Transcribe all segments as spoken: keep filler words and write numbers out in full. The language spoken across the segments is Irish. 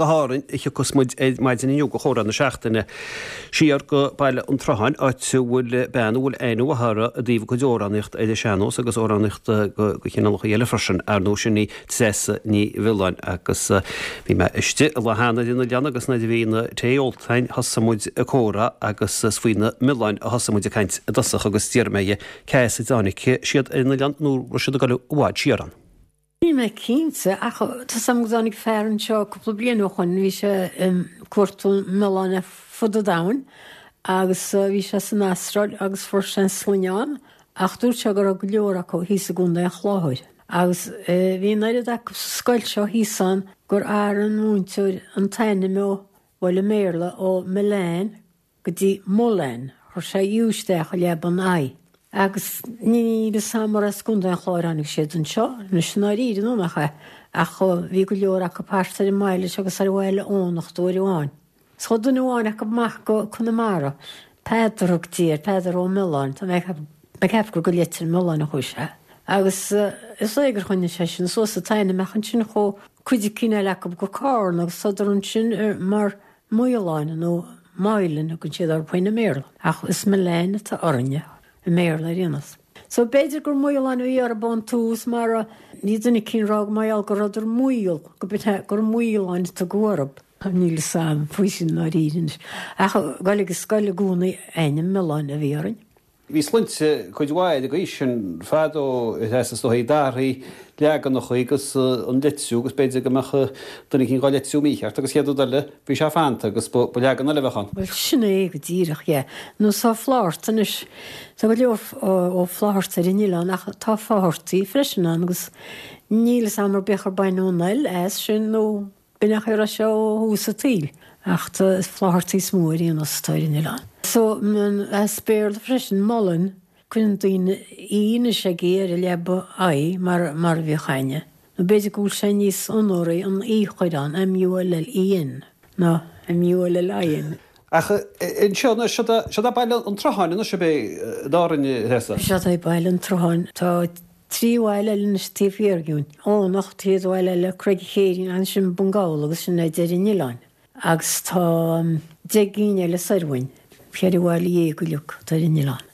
go hÁrainn a thiocfas muid ar maidin inniu do chomhrá na seachtaine. Siar go Baile an tSrutháin, áit a bhfuil bean a bhfuil aithne mhaith uirthi i dtaobh a cuid amhránaíocht ar an sean-nós agus amhránaíocht go chineálacha eile freisin. Ar ndóigh sin í Treasa Ní Mhiolláin agus bhí mé istigh an lá cheana ar an oileán agus nuair a bhí an tae ólta againn thosaigh muid ag comhrá agus is faoi na milleáin a thosaigh muid ag caint i dtosach agus d'iarr mé uirthi cá as a dtáinig siad ar an oileán nó raibh siad ag dul i bhfad siar ann. Níl mé cinnte ach tá sam go dtáinig fear anseo cúpla bliain ó shin bhí sé ag cuartú milleán ar fud an domhain agus bhí sé san Astráil agus fuair sé an sloinne ach dúirt sé go raibh go leor acu thíos i gContae an Chláir. Agus bhí an oiread acu sa scoil seo thíos ann gur athraigh an múinteoir an t-ainm ó bhuel i mBéarla ó Milan go dtí Mullen, chuir sé U isteach i leaba an I. Agus ní is mar as Contae an Chláir tháinig siad anseo, anois i ndáiríre nó nach é, ach bhí go leor acu thart ar an mbaile seo agus ar bhaile Fhónachta uair amháin. 'S chuaigh duine amháin acu amach go Conamara, Peadar a thugtaí air, Peadar Ó Miolláin, tá mé ag ceapadh gur go Leitir Mealláin a chuaigh sé. Agus is é gur choinnigh sé sin suas an t-ainm ach ansin chuaigh cuid cinn eile acu go Carna agus tádar ansin mar Maoláin nó Moylan thugann siad orthu i mBéarla, ach is Milan atá orainne i mBéarla ar aon nós. So b'fhéidir gur Maoláin a bhí orthu ón tús mar ní duine cinn rá go mbeadh go rabhadar maol go b'in gur Maoláin a tugadh orthu. Níl a fhios agam faoi sin dáiríre anois. Ach goil ag scoil i gcónaí ainm Miolláin a bhí orainn. Bhí sloinnte cuid mhaith ag aois sin fadó is dóigh d'athraigh leaganacha agus an litriú agus b'fhéidir go mbeadh duine éicint dhá litriú mícheart agus chéad rud eile bhí sé fanta agus ba leagan eile a bheadh ann. Bhuel sin é go díreach é. Nó tá Flátharta anois tá go leor ó Flátharta ar an oileán ach tá Fáthartaí freisin ann agus níl a fhios agam ar bith ar baineadh an L as sin nó b'in é a raibh sé ó thús an tsaoil ach tá Fláthartaí is mó ar aon nós atá ar an oileán. So as Béarla freisin Mullen cuireann daoine E anois ag ar a leaba I mar mar a bhíodh aine. Nó b'fhéidir go bhfuil sé níos onóraí an E a chur ann M U L L E N ná M U L L I N. Ach anseo anois seo é Baile an tSrutháin anois ab é d'Árainn Treasa. Seo é Baile an tSrutháin tá trí bhaile eile anois taobh thiar dínn. Eoghanacht chéad bhaile eile Creag an Chéirín ansin Bun Gabhal agus sin é deireadh an oileáin. Agus tá deich gcinn eile soir uainn, ceithre bhaile dhéag uilig atá ar an oileán.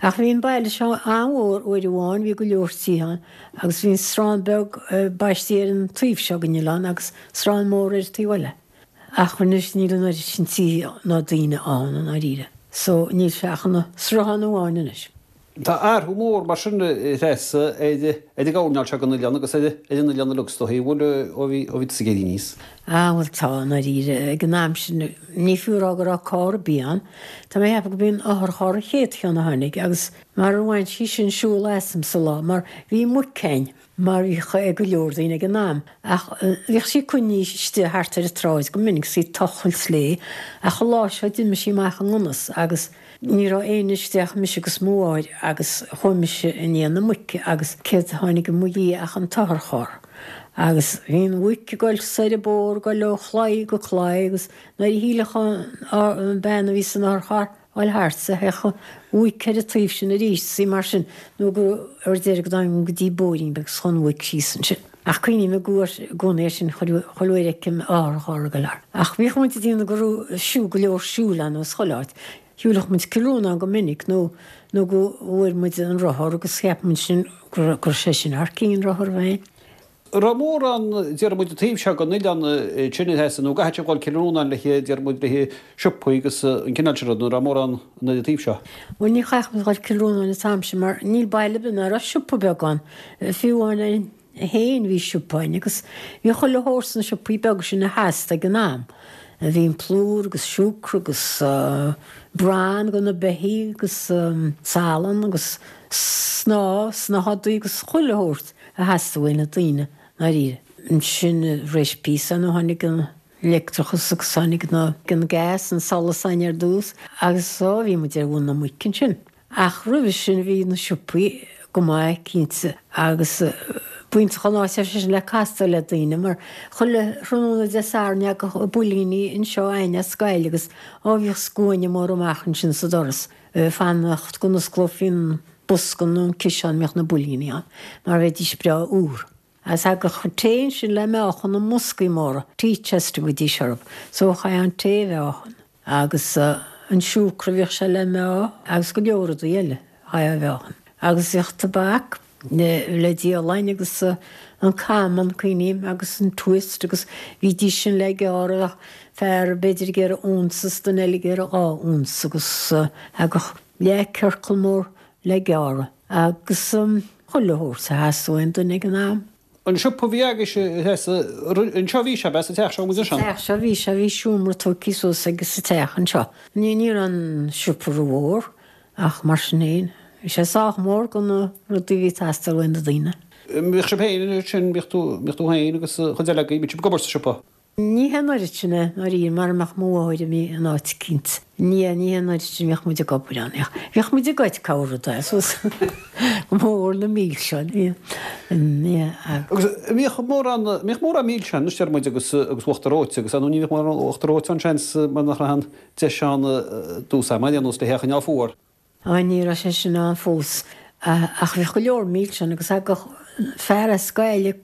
Ach bhí an baile seo an-mhór uair amháin, bhí go leor tithe ann, agus bhí an srán beag baistí ar an taobh seo den oileán agus srán mór ar an taobh eile. Ach anois níl an oiread sin tithe ná daoine ann i ndáiríre. So níl sé ach ina sruthán amháin anois. Tá athrú mór mar sin Treasa ar ar an gcoirnéal seo den oileán agus ar ar an oileán uilig is dóichí, bhfuil ó bhí ó bhí tusa ag éirí aníos. Ah bhuel tá i ndáiríre ag an am sin ní fiú a rá go raibh carr ar bith ann. Tá mé ag ceapadh go b'í an otharcharr an chéad cheann a tháinig agus mar ar bhain sí sin siúl asam sa lá mar bhí muic againn mar bhíodh ag go leor daoine ag an am ach bhíodh sí coinnithe istigh thart ar an tsráid go minic 's í ag tochailt léi ach an lá seo d'imigh sí amach i ngan fhios agus Ní raibh éinne istigh ach mise agus mo mháthair agus chuaigh mise i ndiaidh na muice agus céard a tháinig i mo dhiaidh ach an t-otharcharr. Agus bhí an mhuic ag goil soir an bóthar, ag goil ó chlaí go claí agus nuair a shílfeadh an bean a bhí san otharcharr a ghoil thart, théadh an mhuic ar an taobh sin arís is í mar sin nó go ar deireadh go dtáinig go dtí bóithrín beag 's chuaigh an mhuic síos ansin. Ach cuimhním i gcónaí air sin chuile uair a fheicim otharcharr ag goil thart. Ach bhíodh muid ag déanamh go raibh siúl go leor siúil ann as chuile áit. Shiúlfadh muid Cill Rónáin go minic nó nó go bhfuair muid an rothar agus cheap muid sin go raibh sé sin thar cionn rothar a bheith. Raibh mórán, déarfaidh muid, an taobh seo den oileán sin a Threasa nó an gcaithfeadh sibh dhul Cill Rónáin le haghaidh, déarfaidh muid, le haghaidh siopaí agus an cineál sin rud, nó raibh mórán an ar an taobh seo? Bhuel ní chaithfeadh muid dhul Cill Rónáin an t-am sin mar níl baile ar bith ná raibh siopa beag ann, fiú amháin féin bhí siopa ann agus bhí chuile shórt sna siopaí beaga sin a theastaigh ag an am. Bhí an plúr agus siúcra agus bran do na beithígh agus salann agus snáth, snáthaidí agus chuile shórt a theastaigh uaidh na daoine ndáiríre. Ansin tar éis píosa nó tháinig an leictreachas agus tháinig an gas, an solas ann ar dtús agus ó bhí muid ar mhuin na muice ansin. Ach roimhe sin bhí na siopaí go maith cinnte agus b'iontach an áit ar seisean le castáil le daoine mar chuile thráthnóna Dé Sathairn thagadh builíní anseo againn as Gaillimh agus ó bhíodh scuaine mór amach ansin sa doras ag fanacht go n-osclófaí an bosca nó an ciseán a mbeadh na builíní ann mar bheidís breá úr. Agus thagadh an tae ansin le meáchan i mboscaí móra, tea chest a thugaidís orthu. So chaithfeá an tae a mheáchan. Agus an siúcra bhíodh sé le meá agus go leor rudaí eile chaithfeá a mheáchan. Agus bhíodh tobac le díol againn agus an Camel cuimhním agus an Twist agus bhídís sin le gearradh ach fear b'fhéidir ag iarraidh unsa is duine eile ag iarraidh dhá unsa agus thagadh leathchiorcal mór le gearradh agus chuile shórt a theastaigh ón duine ag an am. An siopa a bhí agaibhse a Threasa, anseo a bhí sé, ab ea, sa teach seo muid anseo? Sa teach seo a bhí sé, bhí seomra tógtha suas aige sa teach anseo. Ní ní raibh an siopa rómhór ach mar sin féin bhí sé sách mór do na rudaí a bhí ag teastáil ó na daoine. Bhíodh sibh féin ansin, bhíodh tú, bhíodh tú féin agus chuid eile agaibh, bhíodh sibh ag obair sa siopa? Ní hé an oiread sin é, ndáiríre, mara mbeadh mo mháthair imithe in áit eicínt. Ní hé, ní hé an oiread sin a bhíodh muid ag obair ann. Bhíodh, bhíodh muid ag goid corr rud é, suas go mór na milseáin. Ní hé, Agus bhíodh mórán, bhíodh mórán milseáin, anois deir muid, agus, agus uachtar reoite agus, ar ndóigh ní bhíodh mórán uachtar reoite ann seans mar nach raibh an deis ann dtús ama, ar nós le hé a choinneáil fuar. Á, ní raibh sé sin ann fós. Ach bhíodh go leor milseán agus thagadh fear as Gaillimh,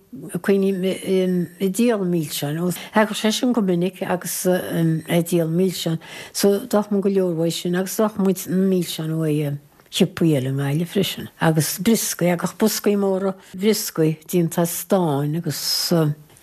cuimhním, ag díol milseáin. Thagadh seisean go minic agus ag díol milseán. So d'fhaigheadh muid go leor uaidh sin agus d'fhaigheadh muid na milseáin uaidh shiopaí eile i nGaillimh freisin. Agus brioscaí, thagadh boscaí móra brioscaí déanta as stáin agus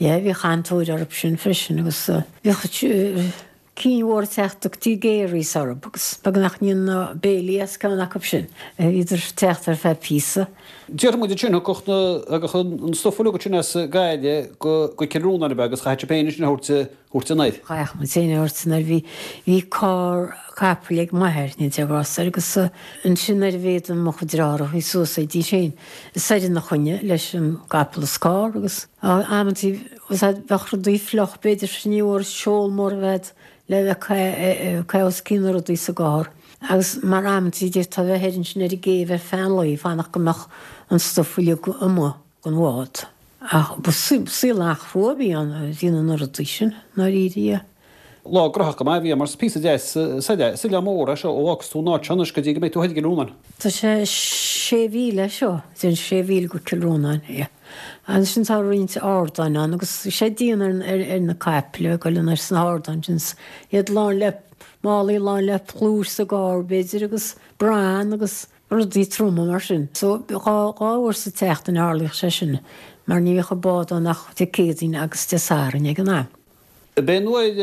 yeah, bhíodh an-tóir orthu sin freisin agus bhíodh Cinn mhóra ag teacht tugtaí Gary's orthu agus beag nach ndéanfá béilí as ceann acu sin. Bhíodar ag teacht ar feadh píosa. Déarfaidh muid ansin, thiocfadh na, thagadh an stuif uilig ansin as Gaillimh go, go Cill Rónáin ab ea agus chaithfeadh sibh féin ansin a thabhairt, thabhairt anoir. Chaithfeadh muid féin a thabhairt anoir. Bhí, bhí carr capaill ag m'athair, Dé grásta air, agus ansin nuair a bhíodar mo chuid deartháireacha suas théidís féin soir ina choinne leis an gcapall is carr agus amantaí bheadh rudaí fliuch b'fhéidir ní bhfuair seol mór a bheith le bheith ag caitheamh os cionn na rudaí sa gcarr agus mar amantaí d'fhéadfá a bheith thoir ansin ar an gcéibh ar feadh an lae fanacht go mbeadh an stuif uilig amuigh den bhád. Ach ba saol an-chrua a bhí ann ag déanamh na rudaí sin, ndáiríre. Lá graitheach go maith a bhí ann mar is píosa deas soir é. Is oileán mór é seo ó fhágas tú an áit seo anois go dtí go mbeidh tú thoir i gCill Rónáin. Tá sé sé mhíle seo, déarfainn sé mhíle go Cill Rónáin, yeah. Ansin tá roinnt ardáin ann agus bhí sé dian ar ar na caiple ag dul anoir sna hardáin sin, iad lán le málaí lán le plúr sa gcarr b'fhéidir agus bran agus rudaí troma mar sin. So dhá dhá uair sa tseachtain a tharlaíodh sé sin mar ní bhíodh an bád ann ach Dé Céadaoin agus Dé Sathairn ag an am. B'é an uair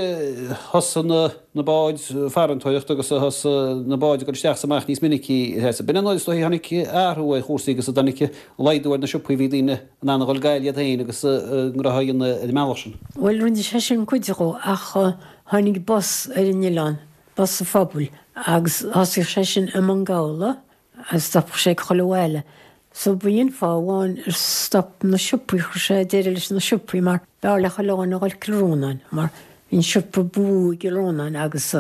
a thosaigh na báid farantóireachta agus a thosaigh na báid ag dul isteach is amach níos minicí. B'in an uair is dóichí a tháinig athrú ar chúrsaí agus a dtáinig laghdú ar na siopaí, bhí daoine in ann a dhul Gaillimh iad féin agus a ngnóthaí a dhéanamh ar an mbealach sin. Bhuel, rinne sé sin cuid dhó ach tháinig bus ar an oileán, bus an phobail, agus thosaíodh sé sin i mBun Gabhla agus stopadh sé ag chuile bhaile. So b'in fáth amháin ar stop na siopaí, chuir sé deireadh leis na siopaí mar b'fhearr le chuile dhuine a dhul Cill Rónáin mar bhí an siopa ba mhó i gCill Rónáin agus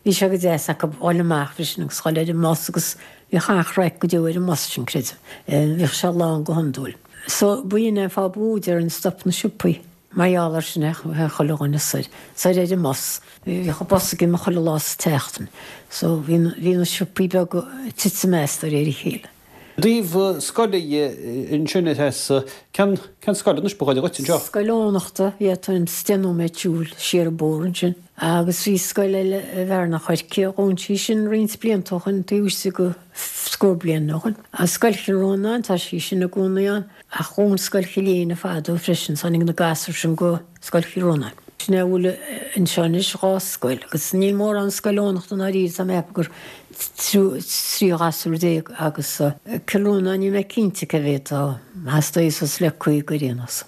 bhí sé go deas acu dhul amach freisin agus dhul ar an mbus agus bhíodh an-chraic go deo ar an mbus sin, creidim. Bhíodh sé lán go hiondúil. So b'in an fáth ba mhó déarfainn stop na siopaí. Mar gheall air sin théadh chuile dhuine soir, soir ar an mbus. Bhíodh an bus ag imeacht chuile lá sa tseachtain. So bhí bhí na siopaí beaga ag titim as de réir a chéile. I dtaobh scoile dhe ansin a Threasa, cén cén scoil anois ba ghaire dhuit anseo? Scoil Eoghanachta, yeah, tá deich nóiméad siúil siar an bóthar ansin. Agus bhí scoil eile i bhFearann an Choirce, dhún sí sin roinnt blianta ó shoin, taobh istigh de scór bliain ó shoin. Agus Scoil Chill Rónáin, tá sí sin i gcónaí ann. Ach dhún Scoil Chill Éinne fadó freisin, tháinig na gasúir sin go Scoil Chill Rónáin. Sin é a bhfuil anseo anois, dhá scoil, agus níl mórán scoil Eoghanachta i ndáiríre, tá mé ag ceapadh gur trí ghasúr déag agus Cill Rónáin, níl mé cinnte cé mhéad atá, theastaigh suas le caoga ar aon nós.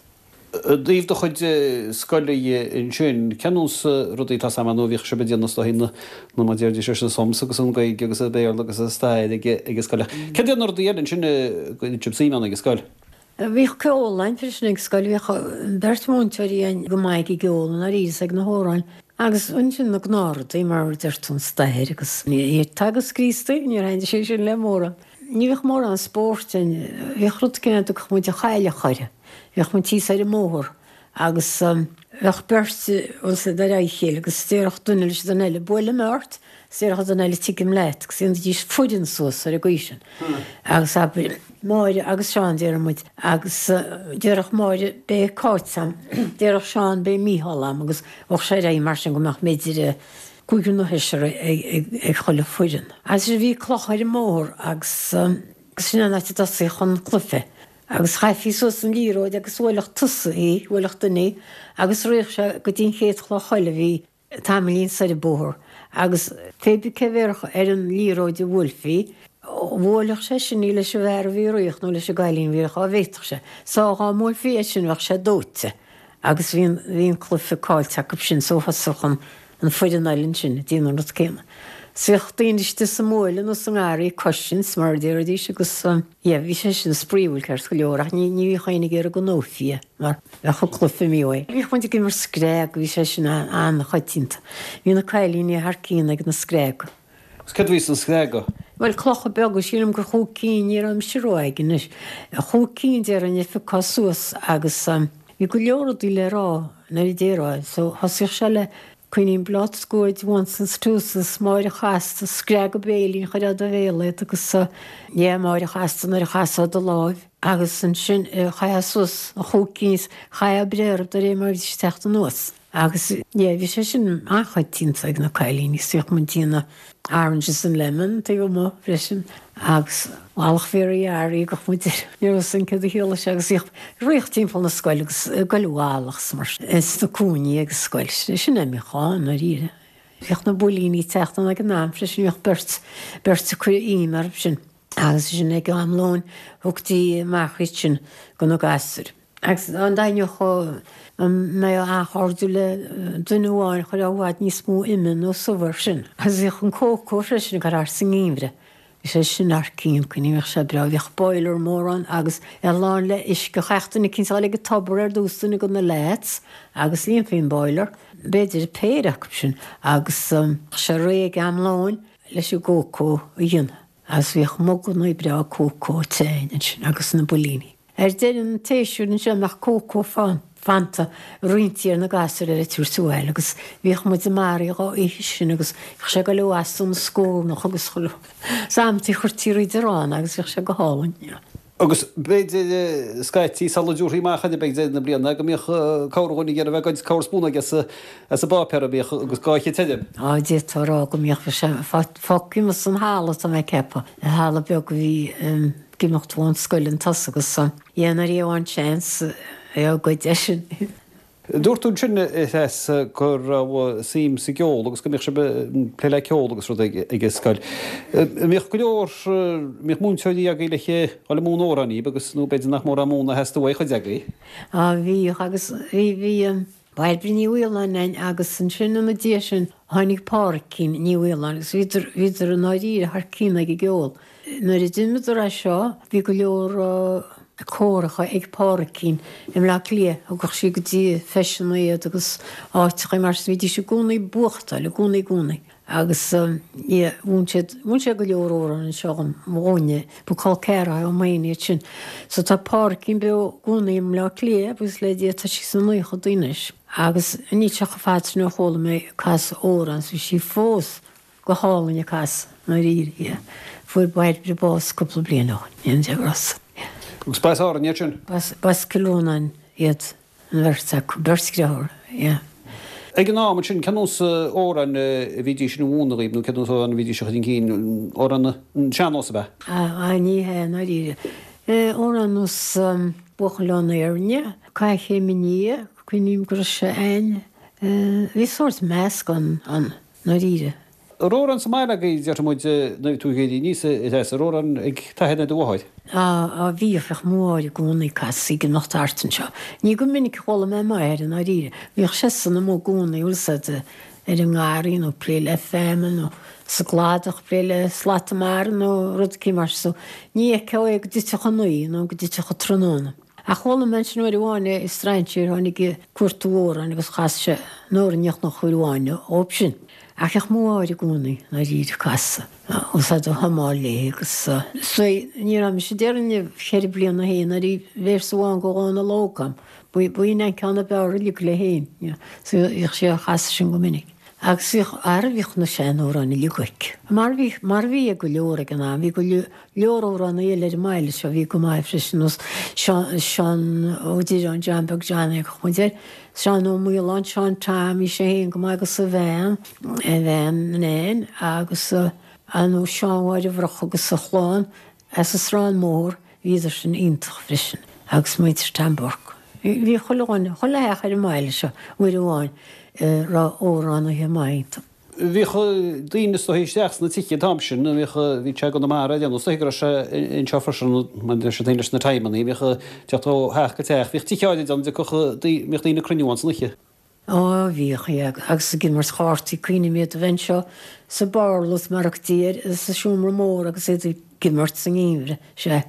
I dtaobh do chuid scoile dhe ansin, cén nós rudaí atá agam nó bhíodh sibh ag déanamh is dóichí na, na mar déarfaidís leis na sums agus an Ghaeilge agus an Béarla agus an stair ag ag an scoil ach céard iad na rudaí eile ansin a gcuireann sibh suim ann ag an scoil? Bhíodh ceol ann freisin ag scoil, bhíodh beirt mhúinteoirí ann go maith ag an gceol i ndáiríre is ag na hamhráin agus ansin na gnáthrudaí mar a deir tú an stair agus Teagasc Críostaí, níor thaitnigh sé sin le mórán. Ní bhíodh mórán spóirt ann, bhíodh rud éigin a dtugadh muid an chailleach air. Bhíodh muid thíos ar an mbóthar agus Bheadh beirt bhfuil 's a'd ar aghaidh a chéile agus déarfadh duine leis an duine eile, buailfidh mé ort, is déarfadh an duine eile tigim leat agus dhéanfaidís foireann suas ar an gcaoi sin. Agus abair, Máire agus Seán déarfaidh muid agus déarfadh Máire beidh Cáit a'm, déarfadh Seán beidh Mícheál a'm agus bheadh sé ar aghaidh mar sin go mbeadh b'fhéidir cúigear nó seisear ag chuile foireann. Agus bhí cloch ar an mbóthar agus sin an áit a dtosaíodh an cluiche. Agus chaithfí suas an liathróid agus bhuailfeadh tusa í, bhuailfeadh duine í, agus ritheadh sé go dtí an chéad chloch eile a bhí tamaillín soir an bóthar. Agus pé bith cé bhéarfadh ar an liathróid a bhuailfí, bhuailfeadh sé sin í leis an bhfear a bhí ag rith nó leis an gcailín a bhí ag rith, dhá bhféadfadh sé. So dhá mbuailfí é sin bheadh sé dóite. Agus bhí an, bhí an cluiche caillte acu sin so thosódh an, an foireann eile ansin ag déanamh an rud céanna. 'S bhíodh daoine istigh sa mbuaile nó sa ngarraí ag cosaint, mar a déarfaidís, agus yeah, bhí sé sin spraíúil ceart go leor ach ní ní bhíodh éinne ag iarraidh go ndófaí é mar bheadh an cluiche imithe uaidh. Bhíodh muid ag imirt screig, bhí sé sin an-choitianta. Bhí na cailíní thar cionn ag na screaga. Agus céard a bhí sna screaga? Bhuel, clocha beaga, sílim gur chúig cinn, ní raibh mise ró-óg anois, chúig cinn déarfainn a phiocfá suas agus bhí go leor rudaí le rá nuair a déarfá, so thosaíodh sé le Coinín Blots, Goid, Onces, Twoses, Máire Chasta, Screaga Béilín, chuirfeá i do bhéal iad agus yeah, Máire Chasta nuair a chasfá do láimh agus ansin chaithfeá suas an chúig cinn is chaithfeá breith orthu de réir mar a bhídís ag teacht anuas. Agus yeah, bhí sé sin an-choitianta ag na cailíní, is bhíodh muid ag déanamh oranges and lemon taobh amuigh freisin agus Mhallacht Mhéaraí Fhearaí gach muid air. Ní raibh san céad a chiallaigh sé agus bhíodh rith timpeall na scoile agus ag goil i bhfalach is mar sin sna cúinní ag an scoil. Sin é a bhíodh ann, ndáiríre. Bhíodh na builíní ag teacht ann ag an am freisin, bhíodh beirt, beirt ag cur ime orthu sin. Agus sin ag am lóin thugtaí amach iad sin go na gasúir. Agus an dtaitneodh an mbeadh an-chairdiúil le duine amháin chuirfeá i bhfad níos mó ime nó subh air sin. Agus bhíodh an cócó freisin ag cur thart sa ngeimhreadh. Bhí sé sin thar cionn, cuimhním, bhíodh sé breá. Bhíodh boiler mór ann agus é lán le uisce. Chaithfeadh duine eicínt a dhul ag an tobar ar dtús, duine de na lads, agus líonfaí an boiler, b'fhéidir péire acu sin, agus bheadh sé réidh ag am lóin leis an gcócó a dhéanamh. Agus bhíodh muganna breá cócó te ansin agus na builíní. Ar deireadh an tséasúir anseo bheadh cócó fanta roinntí ar na gasúir le tabhairt abhaile agus bhíodh muid i mbarraí dhá ithe sin agus bhíodh sé ag goil abhus ón scornach agus chuile is amantaí chuirtí roinnt arán agus bhíodh sé go hálainn. Agus b'fhéidir scaití sula dtabharfaí amach iad ag deireadh na bliana go mbíodh corrdhuine ag iarraidh a bheith ag goid corrspúnóg as an bpáipéar a bhíodh agus dhá ithe tirim. Á, d'fhéadfá a rá go mbíodh, bhí sé fágtha amuigh san halla tá mé ag ceapadh, an halla beag a bhí ag imeacht ón scoil chun tosaigh agus yeah nuair a gheofá an seans é a ghoid eisean. Dúirt tú ansin, a Threasa, go raibh suim sa gceol agus go mbíodh sibh ag plé le ceol agus rudaí ag an scoil. An mbíodh go leor, an mbíodh múinteoirí agaibh le dhul ag múineadh amhráin daoibh agus nó b'fhéidir nach mórán múineadh a theastaigh uaidh chuid agaibh? Á bhíodh agus bhí, bhí Bairbre Ní Mhaoláin ann agus ansin ina diaidh sin tháinig Pádraicín Ní Mhaoláin agus bhíodar, bhíodar i ndáiríre thar cionn ag an gceol. Nuair a d'imíodar as seo bhí go leor córacha ag Pádraicín i mBleá Cliath, thugadh sí go dtí feiseanna iad agus áiteacha mar sin, bhídís i gcónaí ag buachtáil, i gcónaí, i gcónaí. Agus yeah, mhúin siad, mhúin siad go leor amhrán anseo dhom, dhúinne, ba col ceathracha dhom féin iad sin. So tá Pádraicín beo i gcónaí i mBleá Cliath, buíochas le Dia, tá sí sna naochadaí anois. Agus níl sé chomh fada sin ó chuala mé ag casadh amhrán, so bhí sí fós go hálainn ag casadh, i ndáiríre, yeah. Fuair Bairbre bás cúpla bliain ó shin, Dia grá. Yeah. Agus b'as Árainn iad sin? B'as, b'as Cill Rónáin iad. An bheirt acu, beirt dheartháir, yeah. Ag an am ansin, cén nós amhráin a bhídís a mhúineadh dhaoibh nó cén nós amhráin a bhídís a chur chun cinn, amhráin an sean-nós ab ea? Á, ní hea, i ndáiríre. Amhráin nós Buachaill ón Éirne, Caithfidh Chéim i ndiaidh, cuimhním go raibh sé a'ainn. Bhí sórt meascán ann, i ndáiríre. An raibh amhráin sa mbaile agaibh, déarfaidh muid, nuair a bhí tú ag éirí aníos, a Threasa, an raibh amhráin ag t'athair nó do mháthair? Á, á, bhíodh, bhíodh mo mháthair i gcónaí ag casadh ag imeacht thart anseo. Ní go minic a chuala mé m'athair i ndáiríre. Bhíodh seisean amuigh i gcónaí, bhfuil 's a'd, ar an ngarraí nó ag plé le feamainn nó sa gcladach ag plé le slata mara nó rud eicínt mar sin. So, ní fheicfeá é go dtitfeadh a naoi nó go dtitfeadh an tráthnóna. Ach chuala mé ansin uair amháin é, strainséir a tháinig ag cuartú amhráin agus chas sé an amhrán uair amháin dhóibh sin. Ach bhíodh mo mháthair i gcónaí i ndáiríre ag casadh, úsáid a humáil léi agus so ní raibh mise déarfainn ceithre bliana féin nuair a bhí véarsa amháin go Dhónal Óg agam, Ba í an ceann ab fhearr uilig léi féin, you know. So bhíodh sí á chasadh sin go minic. Agus bhíodh, ara bhíodh na seanamhráin uilig aici. Mar bhí, mar bhí ag go leor ag an am, bhí go leor amhránaí eile ar an mbaile seo a bhí go maith freisin, nós Seán, Seán Ó Direáin, John Beag Johnny a thugtha muid air, Seán Ó Maoláin, Seán Tom, bhí sé féin go maith agus a bhean, a bhean Nan agus ar ndóigh Seán Mháire Bhroc agus a chlann as an Srán Mór, bhíodar sin iontach freisin agus muintir Tom Burke. Bhí chuile dhuine, chuile theach ar an mbaile seo uair amháin a raibh amhránaithe maithe iontu. Bhíodh daoine is dóichí isteach sna tithe an t-am sin, bhíodh, bhí sé i gConamara ag déanamh, is dóichí go raibh sé anseo freisin maidir leis an taobh leis na timeannaí, bhíodh teacht ó theach go teach, bhíodh tithe áirid ann a dtiocfadh, bhíodh daoine ag cruinniú ann san oíche. Ó, bhíodh, yeah, agus ag imirt chártaí, cuimhním iad a bheith anseo sa bparlús mar a thugtaí air, sa seomra mór agus iad ag imirt sa ngeimhreadh, sea.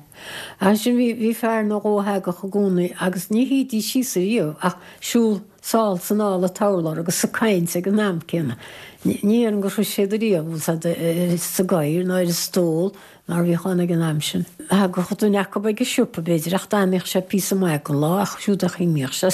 Ansin bhí, bhí fear nó dhó a thagadh i gcónaí agus ní shuídís síos ariamh ach siúl sall 's anall an t-urlár agus ag caint ag an am céanna. Ní déarfainn gur shuigh siad ariamh, bhfuil 's a'd, sa gcathaoir ná ar an stól mar a bhíodh ann ag an am sin. Thagadh duine acu ag an siopa b'fhéidir ach d'fhanaíodh sé píosa maith den lá ach siúd a choinníodh sé.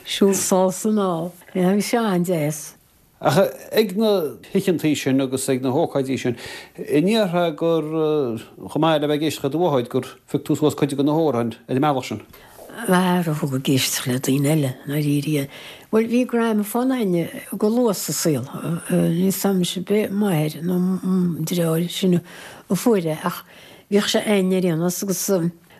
Siúl sall 's anall. Bhí sé an-deas. Ach ag na hoícheantaí sin agus ag na hócáidí sin, an ndéarfá gur, chomh maith le bheith ag éisteacht le do mháthair, gur phioc tú suas cuid de na hamhráin ar an mbealach sin? Ara thug ag éisteacht le daoine eile, i ndáiríre. Bhuel, bhí gramafón againne go luath sa saol. Níl 's a'm anois ab é m'athair nó deartháir sin a fuair é ach bhíodh sé againne ar aon nós agus,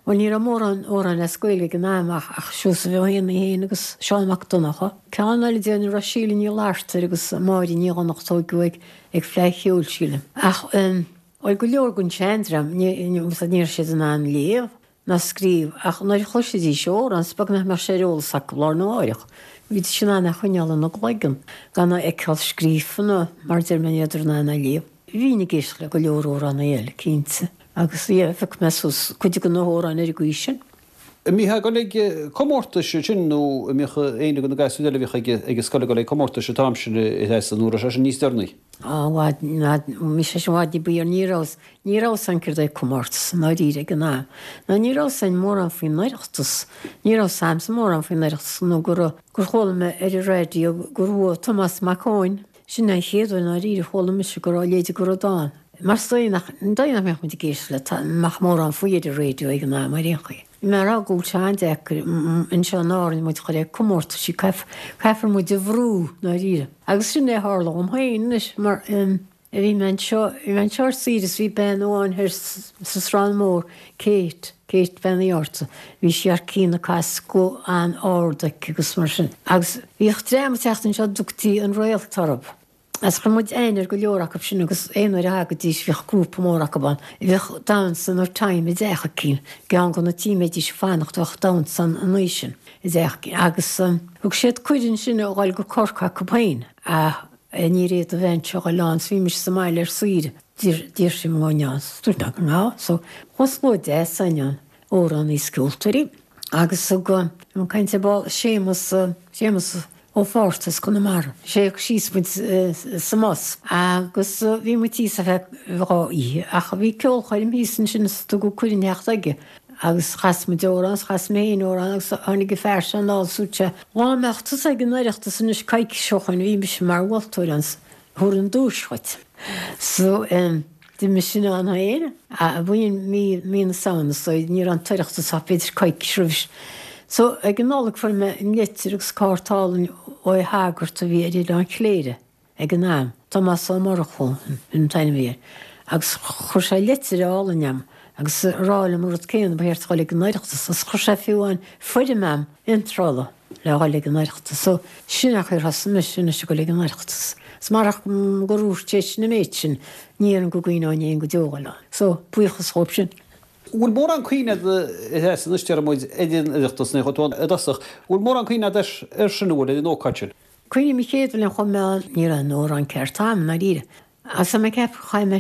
Bhuel, ní raibh mórán amhrán as Gaeilge ag an am ach ach Seosamh Ó hÉanaí féin agus Seán Mac Donncha. Ceann eile déarfainn a raibh Síle Ní Fhlatharta agus Máire Ní Dhonnchtóg ag ag Fleadh Cheoil, sílim. Ach bhuel, go leor den seandream, ní ní raibh siad in ann léamh ná scríobh ach nuair a chloisidís amhrán, is beag nach mbeadh sé ar eolas acu lá arna mháireach. Bhídís in ann é a choinneáil ina gcloigeann gan é a fheiceáil scríofa nó mar a deir mé ní rabhadar in ann é a léamh. Bhínn ag éisteacht le go leor amhránaí eile, cinnte. Agus yeah, phioc mé suas cuid de na hamhráin ar an gcaoi sin. An mbítheá ag dul ag comórtais ansin nó an mbíodh éinne de na gasúir eile a bhíodh ag an scoil ag dul ag comórtais an t-am sin a Threasa nó raibh sé sin níos deireanaí? Á, i bhfad, i bhfad, bhí sé sin i bhfad ní ba dhéanaí, ní raibh, ní raibh 's a'm céard é comórtas i ndáiríre ag an am. Ná ní raibh 's a'inn mórán faoin Oireachtas, ní raibh 's a'msa mórán faoin Oireachtas nó go raibh, gur chuala mé ar an raidió gur bhuaigh Tomás Mac Eoin, Sin an chéad uair i ndáiríre a chuala mise go raibh a leithéid de rud ann. Mar is dóigh nach, dóigh nach mbeadh muid ag éisteacht le mbeadh mórán faoi ar an raidió ag an am ar aon chaoi. Bhí mé ag rá go bhfuil sé an-deacair anseo in Árainn muid a chur ag comórtaisí, caithfear muid a bhrú i ndáiríre. Agus sin é a tharla dhom féin anois mar bhí mé anseo, bhí mé anseo ar saoire is bhí bean amháin thoir sa Srán Mór, Kate, Kate Bean Uí Fhátharta, bhí sí thar cionn ag casadh guth an-ard aici agus mar sin. Agus bhíodh dream ag teacht anseo a dtugtaí an Réalt orthu. Agus chuir muid aithne ar go leor acu sin agus aon uair a thagaidís bhíodh grúpa mór acu ann. Bhíodh damhsa nó time i dteach eicínt, i gceann de na tithe a mbeidís ag fanacht bheadh damhsa ann an oíche sin i dteach eicínt. Agus thug siad cuireadh ansin a dhul go Corcaigh acu féin ach níor fhéad an bhean seo a dhul ann so bhí mise sa mbaile ar saoire. D'iarr sí orm an ngabhfainn ann. Dúirt mé go ngabhfadh. So chuaigh slua deas againn ann, amhránaí is ceoltóirí agus thug an caint ar ball Séamus, Séamus Ó Fátharta as Conamara. Sé a thug síos muid sa mbus agus bhí muid thíos ar feadh dhá oíche ach bhí ceolchoirm thíos ansin is tugadh cuireadh theacht aige agus chas muid amhrán is chas mé féin amhrán agus tháinig an fear seo anall is dúirt sé dhá mbeadh tusa ag an Oireachtas anois coicís ó shoin bhí mise mar mholtóir ann Thabharfainn duais dhuit. So, d'imigh sin ann féin. B'in mí, mí na Samhna so ní raibh an tOireachtas ach b'fhéidir coicís roimhis. So, ag an Nollaig fuair mé an litir agus cárta álainn ó shagart a bhí ar Oileán Chléire ag an am, Tomás Ó Murchú an t-ainm a bhí air, agus chuir sé litir álainn a'm agus ag rá liom an rud céanna, ba cheart a dhul ag an Oireachtas agus chuir sé fiú amháin foirm a'm iontrála. le dhul ag an Oireachtas. So, sin an chaoi ar thosaigh mise anois ag dul ag an Oireachtas. Is marach gur dhúirt sé sin an méid sin, ní déarfainn go gcuimhneoinn fhéin go deo dhul ann. So, buíochas dhóibh sin. Bhfuil mórán cuimhne agat a Threasa anois deir muid ar an Oireachtas nuair a chuaigh tú ann i dtosach, bhfuil mórán cuimhne agat air sin an bhfuil, ar an ócáid sin? Cuimhním an chéad bhliain a chuaigh mé ann, ní raibh aon amhrán ceart a'm, i ndáiríre. Agus tá mé ag ceapadh gur chaith mé,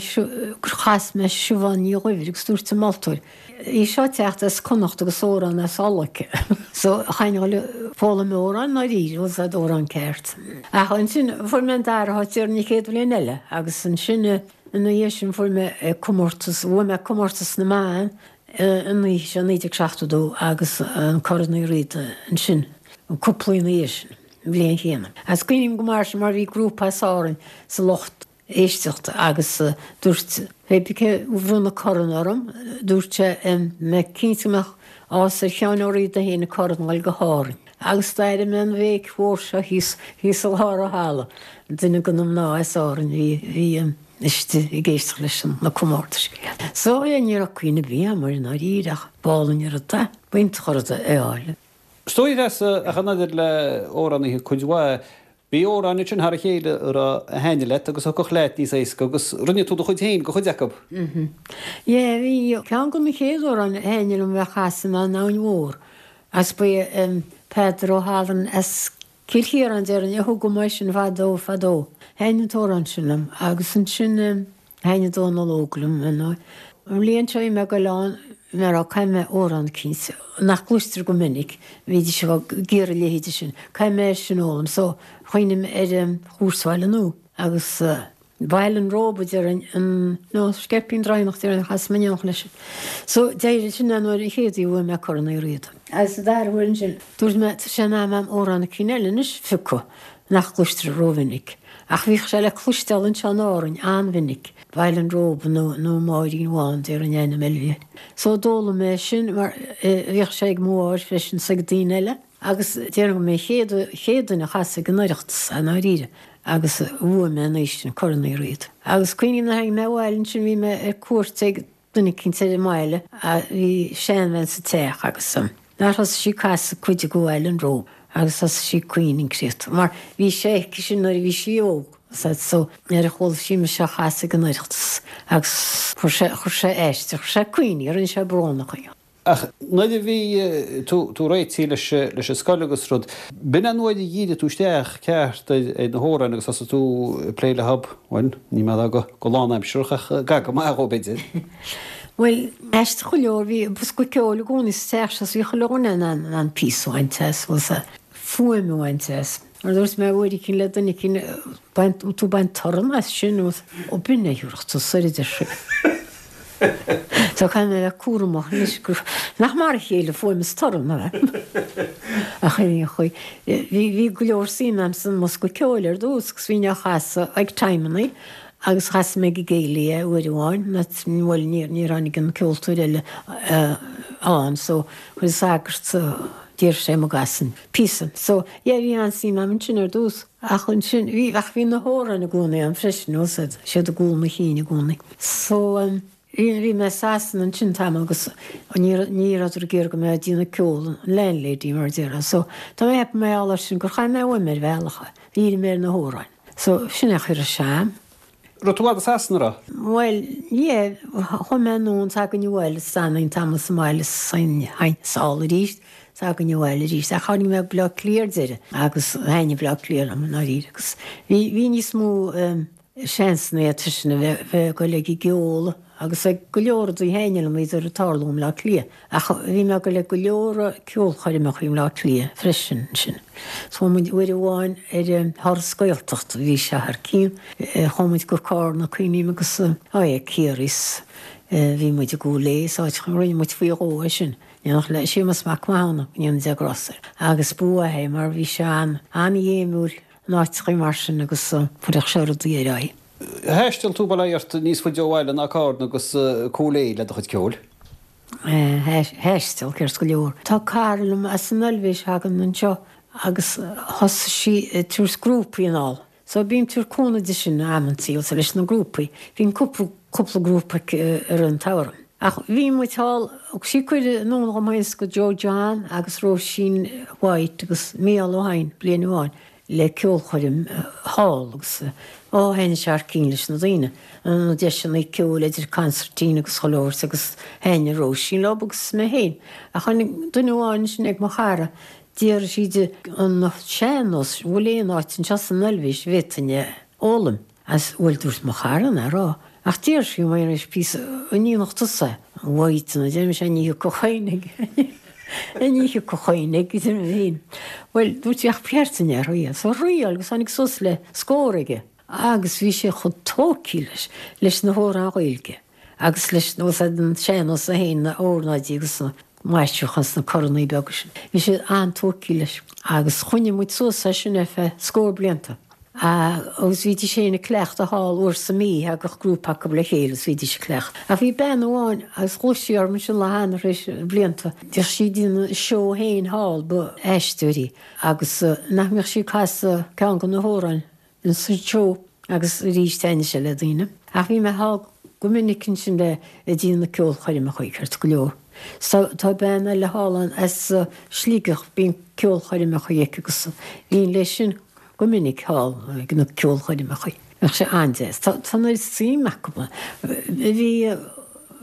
gur chas mé Siobhán Ní Dhuibhir agus dúirt an moltóir, í seo ag teacht as Connacht agus amhrán as Uladh aici. So, chaithfinn a dhul ag foghlaim amhráin i ndáiríre, bhfuil 's a'd, amhrán ceart. Ach ansin fuair mé an dara háit ar an chéad bhliain eile agus ansin ina dhiaidh sin fuair mé comórtas, bhuaigh mé comórtas na mban an oíche seo naoi déag seachtó dó agus an Corn Uí Riada ansin, cúpla ina dhiaidh sin, an bhliain chéanna. Agus cuimhním go maith sin mar bhí grúpa as Árainn sa lucht éisteachta agus dúirt pé bith cé a bhronn an corn orm, dúirt sé mé cinnte go mbeadh áthas ar Sheán Ó Riada féin an corn a fháil go hÁrainn. Agus d'airigh mé an bhéic mhór seo thíos thíos i lár an halla, duine de na mná as Árainn bhí bhí istigh ag éisteacht leis na comórtais. So yeah, ní raibh cuimhne ar bith agam air i ndáiríre ach b'álainn an rud é, b'iontach an rud é a fháil. Is dóigh Treasa, ach maidir le amhránaithe cuid mhaith, bhí amhráin ansin thar a chéile a raibh a thaitnigh leat agus a thiocfadh leat níos éasca agus rinne tú do chuid féin de chuid acu. Yeah, bhí ceann de na chéad amhráin a thaitnigh liom a bheith á chasadh ná An Abhainn Mhór agus ba é Peadar Ó hAlmhain as Cill Chiaráin déarfainn a thug dom é sin fadó fadó. Thaitnigh an t-amhrán sin liom agus ansin thaitnigh Dónal Óg liom ar ndóigh. An bhliain seo bhí mé ag goil ann mé a rá caithfidh mé amhrán eicínt nach gcloistear go minic, bhídís ag iarraidh a leithéide sin, caithfidh mé é sin a fhoghlaim so chuimhnigh mé ar Chúirt Bhaile Nua agus Baile an Róba déarfainn, an, nó Sceirpín Draighneach déarfainn a chas mé in éineacht leis. So d'éirigh sin an uair an chéad uair a bhuaigh mé Corn Uí Riada. Agus an dara huair ansin, dúirt mé, tá sé in am a'm amhrán eicínt eile anois a phiocadh nach gcloistear rómhinic. Ach bhíodh sé le cloisteáil anseo in Árainn an-mhinic, Baile an Róba nó nó Máirín Bhán déarfainn ainm eile a bhí air. So d'fhoghlaim mé sin mar bhíodh sé ag mo mháthair freisin 's ag daoine eile. Agus déarfainn go mé an chéad chéad duine a chas ag an Oireachtas, i ndáiríre. Agus bhuaigh mé an oíche sin Corn Uí Riada. Agus cuimhním nuair a tháinig mé abhaile ansin bhí mé ar cuairt ag duine eicínt ar an mbaile a bhí seanbhean sa teach agus nár thosaigh sí ag casadh cuid de Bhaile an Róba agus thosaigh sí ag caoineadh an créatúr mar bhí sé aici sin nuair a bhí sí óg so nuair a chuala sí mise á chasadh ag an Oireachtas agus chuir sé chuir sé aisteach chuir sé caoineadh rinne sé brónach í. Ach nuair a bhí tú tú réitithe leis leis an scoil agus rud, b'in an uair a dhírigh tú isteach ceart ar ar na hamhráin agus thosaigh tú ag plé leo, bhuel, ní mé a rá go go lánaimsearach ach gar go maith dhó b'fhéidir. Bhuel, aisteach go leor, bhí bosca ceoil i gcónaí sa teach seo, so bhí chuile dhuine in ann in ann píosa a bhaint as, bhuel, sa fuaim a bhaint as. Mar a dúirt mé uair eicínt le duine eicínt, bain, tú ag baint torann as sin, nó ó b'in é a thiúrfadh tú soir a deir sé. So caithfidh mé a bheith cúramach anois gur, nach mar a chéile fuaim is torann, ab ea? Ach ar aon chaoi, bhí, bhí go leor suim a'm san mbosca ceoil ar dtús agus bhínn á chasadh ag timeannaí agus chas mé ag an gcéilí é uair amháin, bhuel níor, níor tháinig an ceoltóir eile ann so chuir an sagart, d'iarr sé an gcasfainn píosa. So, yeah, bhí an-suim a'm ansin ar dtús. Ach ansin, bhí, ach bhí na hamhráin i gcónaí a'm freisin, bhfuil 's a'd, siad i gcúl mo chinn i gcónaí. So, bhí, bhí mé i Sasana ansin tamall agus ní, ní rabhadar ag iarraidh go mbeadh ag déanamh ceoil, an landlady mar a déarfá. So, tá mé ag ceapadh mar gheall air sin gur chaill mé uaim ar bhealach é, dhírigh mé ar na hamhráin. So, sin é a chuir sé a'm. Raibh tú i bhfad i Sasana, raibh? Bhuel, yeah, chuaigh mé anonn 's againn abhaile 's d'fhanainn tamall sa mbaile 's théinn sall arís 's againn abhaile arís ach tháinig mé go Baile Átha Cliath ar deireadh agus thaitnigh Baile Átha Cliath liom i ndáiríre agus bhí, bhí níos mó seansanna aige sin a bheith, bheith ag dul ag an gceol agus ag go leor rudaí a thaitnigh liom iad ag tarlú i mBleá Cliath. Ach bhí mé ag dul ag go leor ceolchoirmeacha i mBleá Cliath freisin ansin. Chuaigh muid uair amháin ar thuras Gaeltachta, bhí sé thar cionn. Chuaigh muid go Carna, cuimhním, agus á é Ciarraí 's bhí muid i gCúil Aodha is áiteacha, rinne muid faoi dhó é sin, in éineacht le Séamus Mac Mathúna, go ndéana Dia grásta air. Agus ba mhaith é mar bhí sé an-ghéimiúil in áiteacha mar sin agus chuirfeadh sé rudaí ar aghaidh. Thaistil tú bail ó Dhia ort níos faide ó bhaile ná Carna agus Cúil Aodha le do chuid ceoil? Thaistil, ceart go leor. Tá cara liom as an Eilvéis a thagann anseo agus thosaigh sí ag tabhairt grúpaí anall. So bím ag tabhairt cúnamh di sin amantaí also leis na grúpaí. Bíonn cúpla cúpla grúpa aici i rith an tsamhraidh. Ach bhí muid thall, thug sí cuireadh anonn dhom féin 's go Joe John agus Róisín White agus Mícheál Ó hEidhin bliain amháin. le ceolchoirm thall agus ó thaitnigh sé thar cionn leis na daoine, na deiseanna ceoil idir consairtín agus chuile shórt agus thaitnigh Róisín leo agus mé féin. Ach tháinig duine amháin ansin ag mo chara, d'fhiafraigh sí di an sean-nós, bhfuil aon áit anseo san Eilvéis a bhféadfainn é a fhoghlaim. As, bhuel, dúirt mo chara nach raibh, ach d'iarr sí uaim arís píosa, an ndéanfadh tusa é? Mhaidin, a deir mise, ní thiocfadh éinne ní thiocfadh éinne go dtí mé féin. Bhuel, dúirt sí, ach ba cheart duit é a thriail. So thriail agus tháinig suas le scór aige. Agus bhí sé chomh tógtha leis, leis na hamhráin Ghaeilge. Agus leis nós an sean-nós féin na ornáidí agus na maisiúcháin sna coranna beaga sin. Bhí siad an-tógtha leis agus choinnigh muid suas é sin ar feadh scór blianta. Agus bhídís féin ag cleachtadh thall uair sa mí, thagadh grúpa acu le chéile agus bhídís ag cleachtadh. Ach bhí bean amháin agus ghluais sí orm ansin lá cheana tar éis blianta, bhíodh sí ag déanamh a seó féin thall, ba aisteoir í agus nach mbeadh sí ag casadh ceann de na hamhráin insa seó agus arís thaitnigh sé le daoine. Ach bhí mé thall go minic ansin le ag déanamh na ceolchoirmeacha ceart go leor. So tá bean eile thall ann as Sligeach, bíonn ceolchoirmeacha aici agus bhínn léi sin go minic thall ag na ceolchoirmeacha. Bheadh sé an-deas. Tá an oiread suim acu. Bhí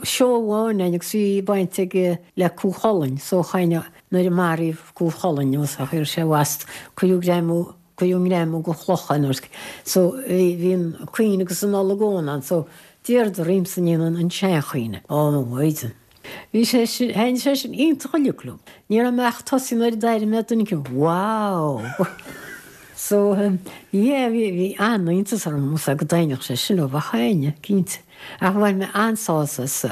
seó amháin ann agus bhí baint aige le Cú Chulainn, so chaine nuair a maraíodh Cú Chulainn nó sa chuir sé bhast cuireadh greamú cuireadh greamú go chloch air. So bhí bhí an caoineadh agus an olagón ann so d'iarradar ormsa a dhéanamh an seanchaoineadh. Ó mo mhaighdean. Bhí sé sin, thaitnigh sé sin iontach uilig liom. Ní raibh mé ach tosaithe nuair a d'airigh mé duine éicint, wow! So, yeah, bhí, bhí an-iontas orm go dtaitneodh sé sin leo, ach thaitnigh, cinnte. Ach bhain mé an-sásamh as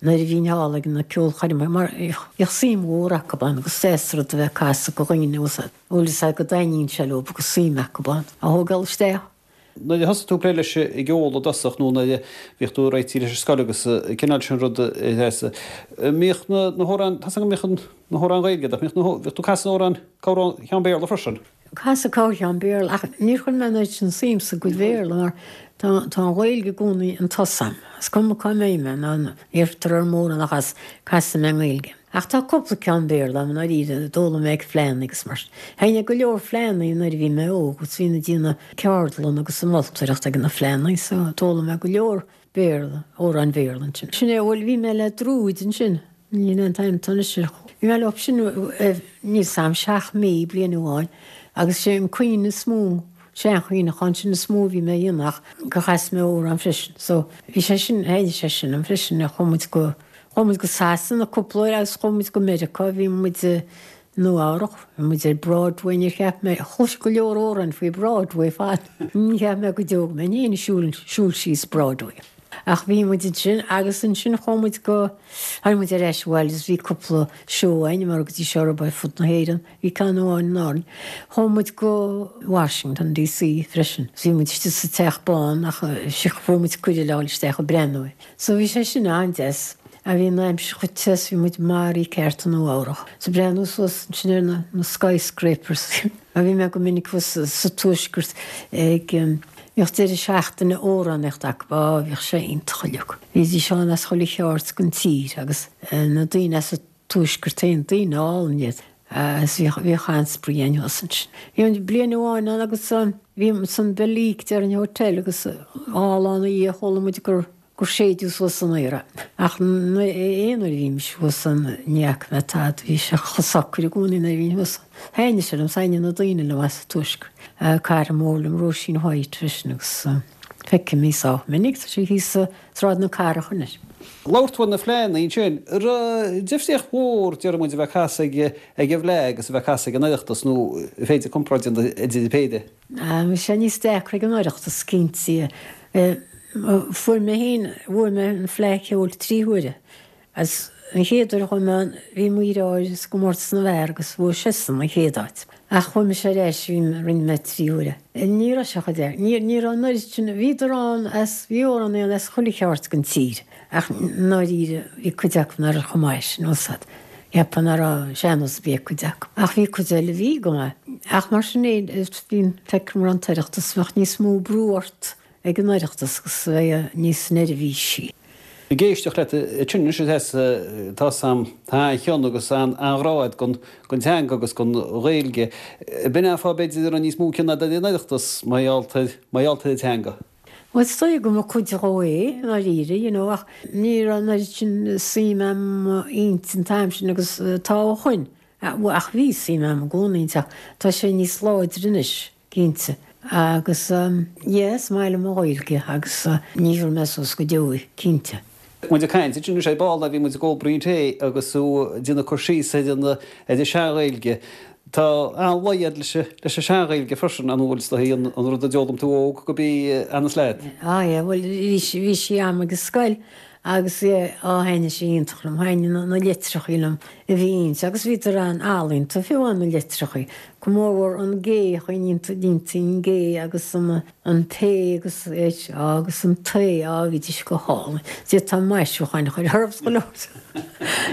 nuair a bhínn thall ag na ceolchoirmeacha mar bhíodh suim mhór acu ann agus deas rud a bheith ag casadh do dhaoine agus a bhfuil fhios agat go dtaitníonn sé leo agus suim acu ann a thógáil isteach. Nuair a thosaigh tú ag plé leis an gceol i dtosach nó nuair a bhíodh tú ag réitigh leis an scoil agus an cineál sin rud a Threasa, mbíodh na hamhráin, tá 's agam go mbíodh na hamhráin Ghaeilge ach mbíodh na, bhíodh tú ag casadh amhrán, corr cheann Béarla freisin? Casadh corrcheann Béarla ach níor chuir mé an oiread sin suim sa gcuid Bhéarla mar tá tá an Ghaeilge i gcónaí an tosaigh a'm. Is cuma cá mbeidh mé ná iarrtar orm amhrán a chasadh, casfaidh mé i nGaeilge. Ach tá cúpla ceann Béarla agam i ndáiríre, d'fhoghlaim mé ag fleánna agus mar sin. Thaitnigh go leor fleánna nuair a bhí mé óg agus bhínn ag déanamh ceardlann agus ag moltóireacht ag na fleánna so d'fhoghlaim mé go leor Béarla, amhráin Bhéarla ansin. Sin é, bhuel bhí mé le Druid ansin, níl aon t-ainm anois ar, bhí mé leo sin níl 'fhios a'm seacht mí, bliain amháin agus sé an caoineadh is mó, seanchaoineadh ansin is mó a bhí mé a dhéanamh ach gur chas mé amhrán freisin. So bhí sé sin, thaitnigh sé sin liom freisin, chuaigh muid go, Chuaigh muid go Sasana cúpla uair agus chuaigh muid go Meiriceá, bhí muid i Nua Eabhrac, bhí muid ar Broadway, níor cheap mé, chlois go leor amhráin faoi Broadway fad, ní cheap mé go deo go mbeinn féin ag siúl, siúl síos Broadway. Ach bhí muid ansin agus ansin chuaigh muid go, tháinig muid ar ais abhaile agus bhí cúpla seó againn mar go dtí seo ar fud na hÉireann, bhí ceann amháin in Árainn. Chuaigh muid go Washington DC freisin, bhí muid istigh sa Teach Bán ach fuair muid cuireadh le dhul isteach ag breathnú air. So bhí sé sin an-deas. A bhí an aimsir chomh te is bhí muid maraithe ceart i Nua Eabhrach. So breathnú suas ansin ar na na skyscrapers. A bhí mé go minic thuas sa tuaisceart ag bhíodh deireadh seachtaine amhránaíocht acu. Á bhíodh sé iontach uilig. Bhídís ann as chuile cheard den tír agus na daoine as an tuaisceart féin, daoine álainn iad. Agus bhíodh bhíodh an-spraoi againn thuas ansin. Bhí an bliain amháin ann agus bhí san Belleek déarfainn Hotel agus dhá lá ina dhiaidh chuala muid gur gur séideadh suas san aer é. Ach aon uair a bhímis thuas ann ní fhaca mé tada, bhí sé chomh socair i gcónaí nuair a bhínn thuas. Thaitnigh sé liom, thaitnigh na daoine liom as an tuaisceart. Cara mór liom Róisín White freisin agus feicim í sách minic, tá sí thíos i Sráid na Cathrach anois. Labhair tú ar na fleánna ansin, an raibh difríocht mhór, déarfaidh muid, a bheith ag casadh ag an bhFleá agus a bheith ag casadh ag an Oireachtas nó an féidir comparáid a dhéanamh idir an péire? Bhí sé níos deacra ag an Oireachtas, cinnte. Fuair mé féin, bhuaigh mé an Fleadh Cheoil trí huaire. Agus an chéad uair a chuaigh mé ann, bhí mo dheartháir sa gcomórtas na bhfear agus bhuaigh seisean an chéad áit. Ach chuaigh mise ar ais, bhí, rinne mé trí huaire. Ní raibh sé chomh deacair. Ní, ní raibh an oiread sin, bhíodar ann as, bhí amhránaí ann as chuile cheard den tír. Ach i ndáiríre, bhí cuid acu nach raibh chomh maith sin, bhfuil 's a'd. Cheapfá nach raibh sean-nós ar bith ag cuid acu. Ach bhí cuid eile a bhí go maith. Ach mar sin fhéin, bhí, feicim go raibh an tOireachtas, bheadh níos mó brú ort ag an Oireachtas agus bheifeá níos neirbhísí. Ag éisteacht leat ansin anois a Threasa, tá 's a'm, tá an-chion agus an-ghrá agat don teanga agus don Ghaeilge. B'in é an fáth b'fhéidir a raibh níos mó cion agat ar an Oireachtas mar gheall ar mar gheall ar an teanga. Bhuel is dóigh go mba cuid dhó é, i ndáiríre, you know, ach ní raibh an oiread sin suim a'm inti an t-am sin agus atá ó shoin. Ach bhí suim a'm i gcónaí inti ach tá sé níos láidre anois. Cinnte. Agus yeah, is maith liom an Ghaeilge agus ní bhéarfaidh mé suas go deo í, cinnte. Muid ag caint ansin anois ar ball, bhí muid ag ól braon tae agus tú ag déanamh cur síos ar an ar an sean-Ghaeilge. Tá an-luí agat leis leis an sean-Ghaeilge freisin, an bhfuil, is dóigh, an rud a d'fhoghlaim tú óg gurb í a fhanas leat? Ah yeah, bhuel bhí sí bhí sí a'm ag an scoil Agus yeah, á thaitnigh sé iontach liom, thaitnigh na, na litreachaí liom a bhí inti, agus bhíodar an-ealaíonta, fiú amháin na litreachaí, go mórmhór an G, chaoin inti an G agus an, an P agus H agus an T, á bhídís go hálainn. D'fhéadfá maisiúcháin a chur orthu go leor.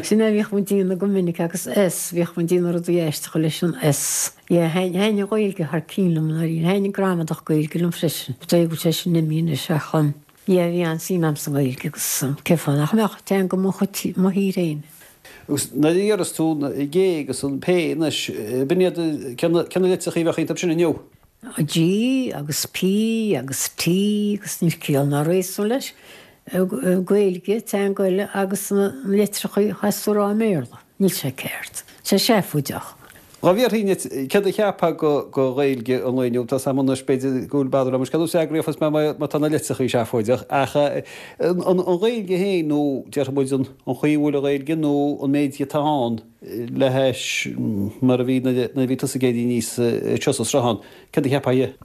Sin é a bhíodh muid ag déanamh go minic agus S, bhíodh muid ag déanamh rudaí aisteacha leis an S. Yeah, thaitnigh an Ghaeilge thar cionn liom, ndáiríre, thaitnigh gramadach Gaeilge liom freisin. Is dóigh go bhfuil sé sin imithe anois ach um, Yeah, bhí an-suim a'm sa nGaeilge agus cén fáth nach mbeadh, teanga mo chuid, mo thír fhéin. Agus nuair a deireas tú an G agus an P anois, b'in iad, cé na litreachaí a bheadh iontu sin inniu? G agus P agus T agus níl ciall ná réasún leis. Gaeilge, teanga eile agus na litreachaí a chaithfeas tú a rá i mBéarla. Níl sé ceart. Tá sé seafóideach. Dhá bhfiafraínn díot céard a cheapfá go Ghaeilge an lae inniu, tá 's a'm anois b'fhéidir go bhfuil b'fhearr liom scéal is eagraíocht má má tá na litreachaí seafóideach ach an Ghaeilge féin nó déarfaidh muid an chaoi a bhfuil an Ghaeilge nó an méid atá ann le hais mar a bhí nuair a bhí tusa ag éirí aníos anseo sa Sruthán, céard a cheapfá dhe?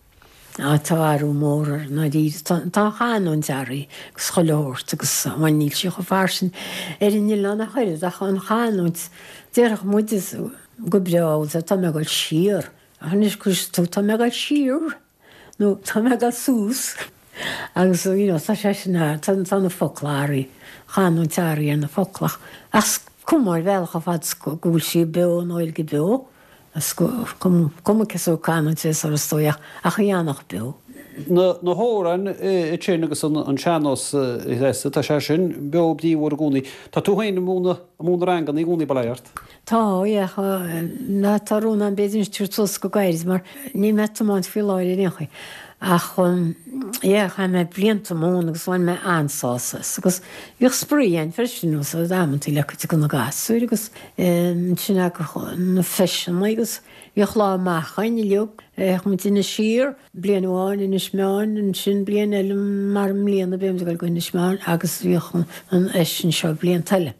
Á tá athrú mór air ndáiríre. Tá an chanúint athraithe agus chuile shórt agus bhuel níl sí chomh fairsing ar an oileán ach oiread ach an chanúint déarfadh muid go breá bhuel tá mé ag dul siar ach anois cloisfidh tú tá mé ag dul siar nó tá mé ag dul suas agus you know tá sé sin tá tá na focla athraithe, chanúint athraithe ar na focla ach is cuma ar bhealach ar fad go bhfuil sí beo an Ghaeilge beo. Is cuma cén sórt canúint é is dóigh ach í a fhanacht beo. Na hamhráin sin agus an sean-nós a tá sé sin beo bríomhar i gcónaí. Tá tú féin ag múineadh ranganna i gcónaí, bail ó Dhia ort? Tá, yeah. Ná tá rún agam b'fhéidir anois tabhairt suas go gairid mar níl mé ag tiomáint faoi láthair ar aon chaoi. Ach yeah, chaith mé blianta ag múineadh agus bhain mé an-sásamh as. Agus bhíodh spraoi ann freisin nó so amantaí le cuid de na gasúir agus ansin na feiseanna agus bhíodh lá amach againn uilig. Bheadh muid in Inis Oírr bliain amháin, Inis Meáin, ansin bliain eile mar i mbliana beidh muid ag dul go Inis Meáin agus bhíodh an fheis anseo blianta eile.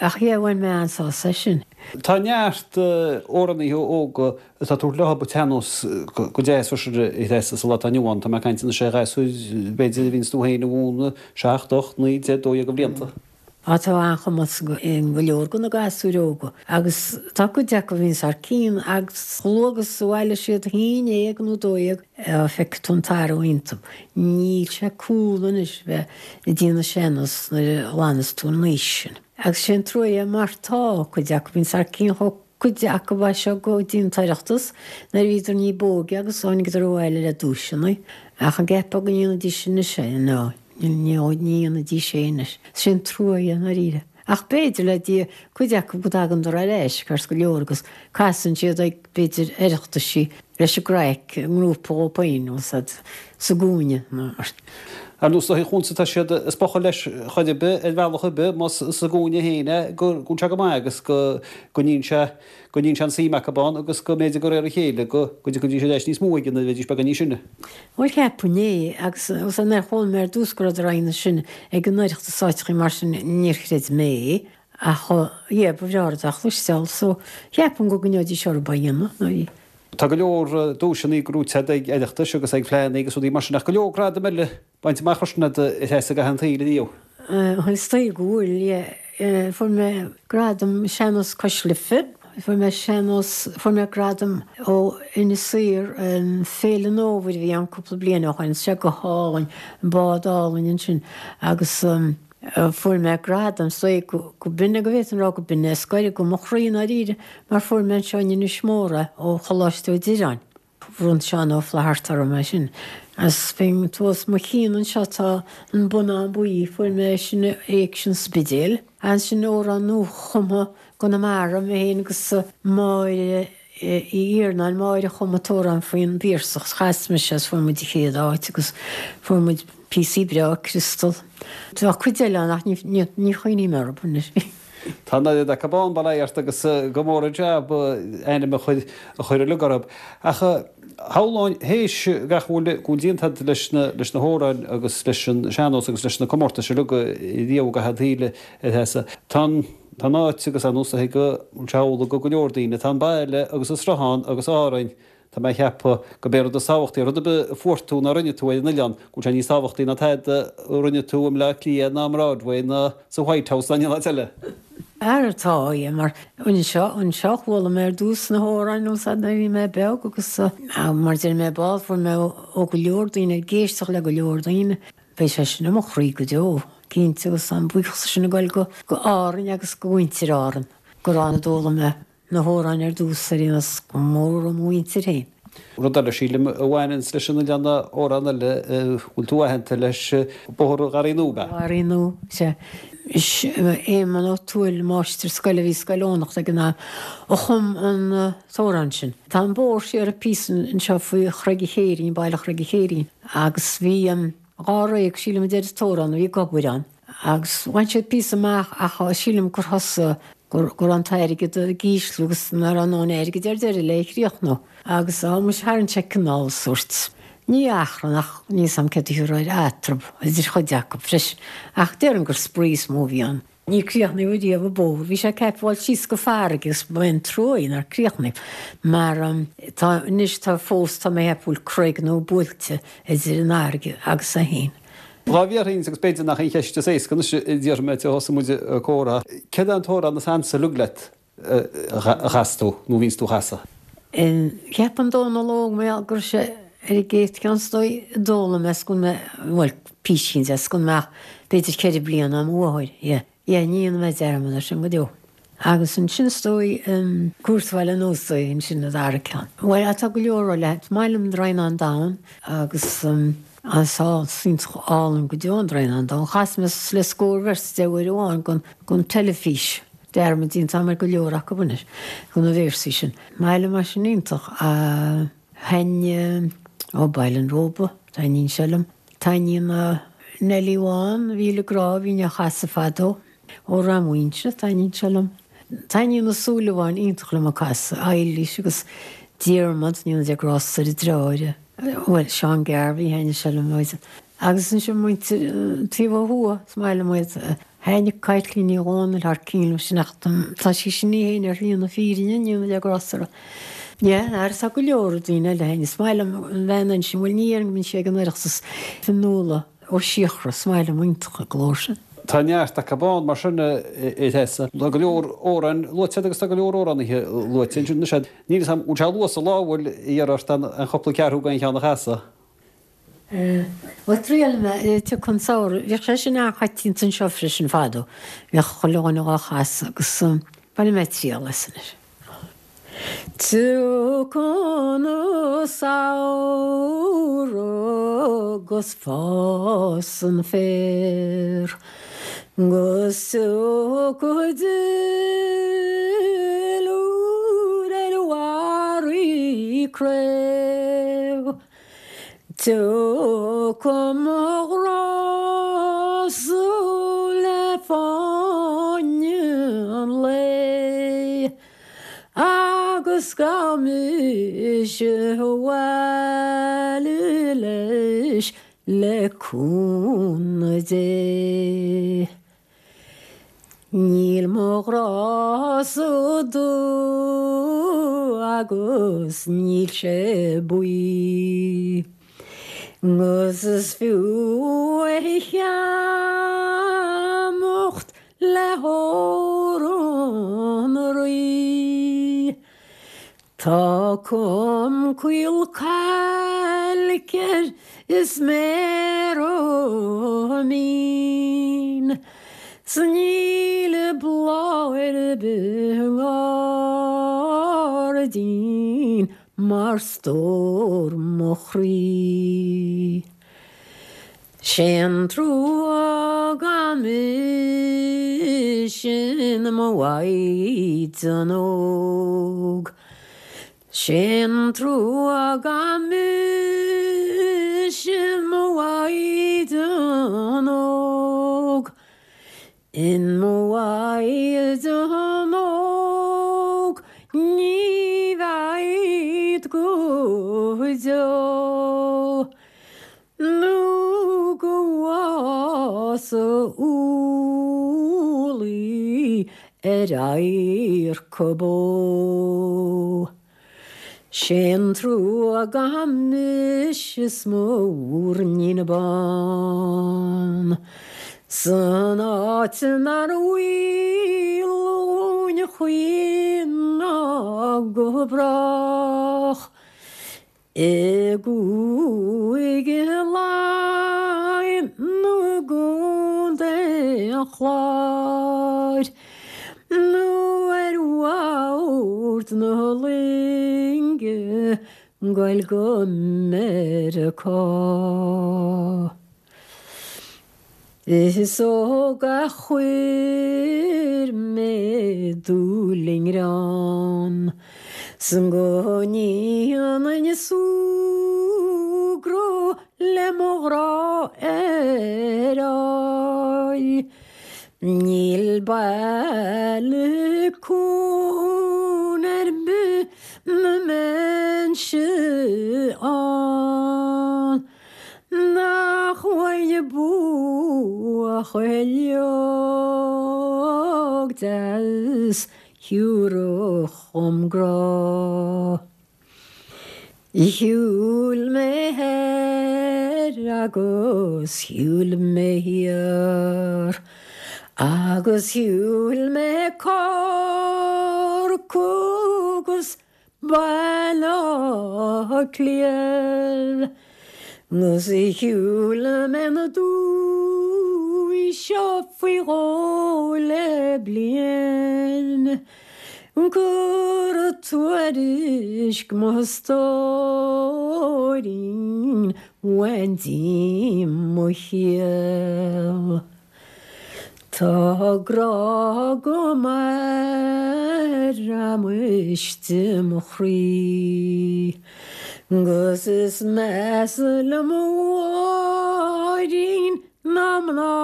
Ach yeah, bhain mé an-sásamh as sin. Tá neart amhránaithe óga atá ag tabhairt leo an tsean-nós go deas freisin a Threasa sa lá atá inniu ann. Tá mé ag caint anois ar ghasúir b'fhéidir a bhíonns tú féin a mhúineadh seacht, ocht, naoi, deich, dó dhéag de bhlianta. Á tá an-chumas i go leor de na gasúir óga agus tá cuid acu a bhíonns thar cionn agus chomh luath agus a bhailigh siad a haon déag nó dó dhéag feicfidh tú an t-athrú iontu. Níl sé cool anois bheith ag déanamh sean-nós nuair a ghlannas tú an aois sin. Agus sé an trua é mar tá cuid acu, bhíonns thar cionn chomh cuid acu as seo go dtí an tOireachtas nuair a bhíodar ní b'óige agus tháinigeadar abhaile le duaiseanna. Ach an gceapfá go ndéanfaidís anois é? No, ní dhéanfaidís é anois. Sé an trua é i ndáiríre. Ach b'fhéidir le Dia cuid acu go dtagandar ar ais ceart go leor agus casann siad ag b'fhéidir Oireachtaisí leis an gcraic i ngrúpa dhóibh féin nó sa gcúinne nó mar. Ar nós na hoíche tá siad ag spochadh leis chor ar bith, ar bhealach ar bith, más sa gcúinne féin é, go bhfuil sé go maith agus go gcoinníonn sé, go gcoinníonn sé an suim acu ann agus go mb'fhéidir de réir a chéile go dtiocfaidís ar ais níos mó aige nuair a bheidís beagán níos sine. Bhuel cheapfainn é agus nuair a chuala mé ar dtús go rabhadar á dhéanamh sin ag an Oireachtas áiteachaí mar sin níor chreid mé é ach yeah ba bhreá rud a chloisteáil so cheapfainn go gcoinneoidís orthu á dhéanamh nuair Tá go leor duaiseanna gnóthaithe agat ag Oireachtais agus ag Fleadhanna agus rudaí mar sin ach go leor gradam eile bainte amach freisin agat a Threasa i gcaitheamh an tsaoil ariamh. Bhuel is dóigh go bhfuil, yeah. Fuair mé gradam Sean-Nós Cois Life, fuair mé sean-nós, fuair mé gradam ó Inis Oírr, Féile an Fhómhair a bhí ann cúpla bliain ó shoin, sé go hálainn, an bád álainn ansin agus fuair mé gradam, is dóigh go b'in é, go bhféadfainn a rá go b'in é is gaire go mo chroí i ndáiríre mar fuair mé anseo in Inis Mór é ó Choláiste Mhic Direáin. Bhronn Seán Ó Flatharta orm é sin. Agus bíonn thuas mo chionn anseo tá an bonnán buí, fuair mé é sin ag Éigse an Spidéil. Ansin amhrán nuachumtha i gConamara, mé féin agus Máire Uí Iarnáin, Máire a chum an t-amhrán faoin bPiarsach, chas mise é is fuair muid an chéad áit agus fuair muid píosaí breá criostal. Tá cuid eile ann ach ní chuimhním orthu anois. Tá an oiread acu ann, bail ó Dhia ort, agus go mór an jab ainm a chur a chur uilig orthu. Ach shamhlóinn, théis gach a bhfuil go bhfuil déanta agat leis na leis na hamhráin agus leis an sean-nós agus leis na comórtais uilig riamh i gcaitheamh an tsaoil a Threasa, tá an tá an áit agus ar nós go bhfuil sé amhlaidh go go leor daoine, tá an baile agus an Sruthán agus Árainn, tá mé ag ceapadh gurb é an rud is tábhachtaí, rud ar bith a fuair tú nó a rinne tú ar an oileán, go bhfuil sé níos tábhachtaí ná tada a rinne tú i mBleá Cliath ná i mBroadway ná sa White House ná in aon áit eile. Ara tá, yeah, mar anseo, anseo chuala mé ar dtús na hamhráin nó sad nuair a bhí mé beag agus mar deir mé ball fuair mé ó go leor daoine ag éisteacht le go leor daoine. Beidh sé sin i mo chroí go deo, cinnte, agus an buíochas sin ag dul go go Árainn agus go mhuintir Árann, gur ann a d'fhoghlaim mé na hamhráin ar dtús ar aon nós, go mór ó mo mhuintir féin. Rud eile, sílim, a bhaineanns leis an oileán ná amhrán eile a bhfuil tú aitheanta leis, Bóthar an Gharraí Nua, ab ea? Garraí Nua, sea. Is Éamonn Ó Tuathail, máistir scoile a bhí i Scoil Eoghanachta ag an am, a chum an t-amhrán sin. Tá an bóthar siar píosa anseo faoi Chreig an Chéirín, baile Chreig an Chéirín, agus bhí an. Dháréag, sílim, a deir an t-amhrán, a bhí ag obair ann agus bhain siad píosa amach ach sílim gur thosaigh, go raibh an t-airgead ag ísliú agus nach raibh a ndóthain airgid ar deireadh le é a chríochnú. Agus á, muis, tharraing sé cineál sórt, ní achrann ach níl 's a'm céard a thiúrfá air, eatrab idir chuid acu freisin. Ach déarfainn gur spraoi is mó a bhí ann. Níor críochnaíodh riamh an bóthar. Bhí sé ceaptha a fháil síos go farraige agus ba é an trua é nár críochnaíodh mar tá anois tá fós tá mé ag ceapadh go bhfuil creag nó buailte idir an fharraige agus é féin. Dhá bhfiafraínn agus b'fhéidir nach í an cheist is éasca anois a déarfaidh mé ó thosaigh muid ag comhrá, céard é an t-amhrán is ansa uilig leat a chas tú nó a bhíonns tú a chasadh? Ceapaim Dónal Óg mar go raibh sé ar an gcéad cheann is dóigh a d'fhoghlaim mé 's go mbeadh, bhuel, písín de, 's go mbeadh b'fhéidir ceithre bliana a'm uathair, yeah, yeah, ní dhéanfaidh mé dearmad air sin go deo. Agus ansin is dóigh, Cúirt Bhaile an Óstaigh, ansin an dara ceann. Bhuel, tá go leor eile, is maith liom Droighneán Donn agus is iontach álainn go deo an Droighneán Donn. Chas mé le scór véarsa de uair amháin don, don teilifís. Dearmad déanta agam ar go leor acu anois, de na véarsaí sin. Maith liom é sin iontach. Thaitnigh Ó Baile an Róba, taitníonn sé liom. Taitníonn Neilí Bhán, Mhíle Grá, a bhínn á chasadh fadó. Ó Rath Mhuínse, taitníonn sé liom. Taitníonn na Súilleabháin iontach liom a casadh, Eilís agus Diarmaid, Ní dhéanfaidh grásta ar a dreáir. Bhuel, Seán Garvey, thaitnigh sé liom. Agus ansin muintir an taobh ó thuaidh, is maith liom iad. Thaitnigh Caitlín Ní Dhomhnaill thar cionn liom sin ach tá sí sin í féin ar shlí na fírinne, ní dhéanfaidh grásta uirthi. Yeah, agus tá go leor daoine eile a thaitnigh. Is maith liom an bhean ansin, bhuel ní dhéarfainn go mbíonn sí ag an Oireachtas, Fionnuala Ó Síocra, is maith liom iontach a glór sin. Tá neart acu ann mar sin a Thessa. Tá go leor amhráin luaite agus tá go leor amhránaithe luaite ansin. Níl 'fhios a'm, bhfuil sé luas sa lá, bhfuil iarraidh ort an chúpla ceathrú d'aon cheann a chasadh? Bhuel, triailfidh mé Tiocfaidh an Samhradh. Bhíodh sé sin an-choitianta anseo freisin fadó. Bhíodh chuile dhuine dhá chasadh agus bainfidh mé triail as anois. Tiocfaidh an samhradh 'gus fás an féar 'gus tiocfaidh duilliúr ar bharraí craobh. Tiocfaidh mo ghrá-sa le fáinne an lae agus gabhfaidh mise abhaile leis le cúnamh Dé. Níl mo ghrá-sa dubh agus níl sé buí, 'gus is fiú é a cheannacht le hór an Rí. Tá com caol cailc air is méar mín 's níl bláth ar bith i ngairdín mar stór mo chroí. Sé'n trua gan mise in mo mhaighdean óg. Sé'n trua gan mise in mo mhaighdean óg. In mo mhaighdean óg ní bhead go deo. Nó go bhfása úllaí ar adharca bó. Sé an trua gan mise is mo mhúirnín bán. San áit nár bhaol dúinn a choíche ná go brách. I gCúige Laighean nó i gContae an Chláir. Nó ar bhord na loinge goil go Meiriceá. Is óg a chuir mé dúil i ngreann, 's go ndéanfainn súgradh le mo ghrá ar fháil. Níl baile cuan ar bith 'na mbeinnse ann nach bhfaighinn buachaill óg deas thiúrfadh dhom grá. Shiúil mé thoir agus shiúil mé thiar agus shiúil mé Corcaigh agus Baile Átha Cliath 'gus shiúil mé na dúichí seo faoi dhó le bliain. Cur tuairisc mo stóirín bhain díom mo chiall. Tá grá agam air istigh i mo chroí, 'Gus is measa liom a Mháirín ná mná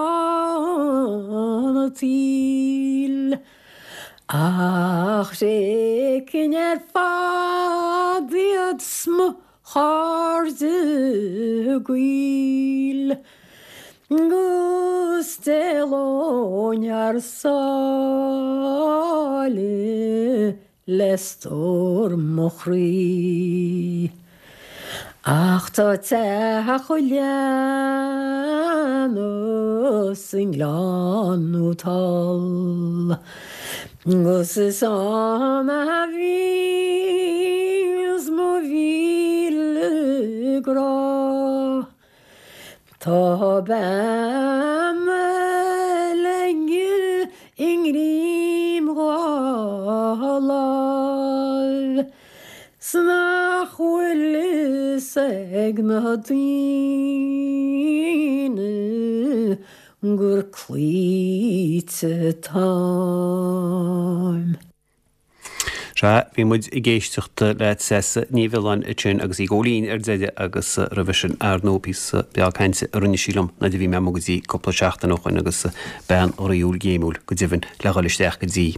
an tsaoil. Ach thréigfinn ar fad iad 's mo chairde gaoil, 'Gus d'éalóinn thar sáile le stór mo chroí. Ach tá teach an leanna sa nGleann úd thall, 'Gus is ann a bhíos mo mhíle grá. Tá bean eile aige i ngreim dhá láimh, 's nach bhfuil fhios ag na daoine gur cloíte atáim. Sea, bhí muid ag éisteacht le Treasa Ní Mhiolláin ansin agus í ag gabháil fhoinn ar deireadh agus roimhe sin ar ndóigh píosa beag cainte a rinne sí liom nuair a bhí mé amuigh go dtí cúpla seachtain ó shin agus bean dhraíúil ghéimiúil go deimhin le dhul isteach go dtí.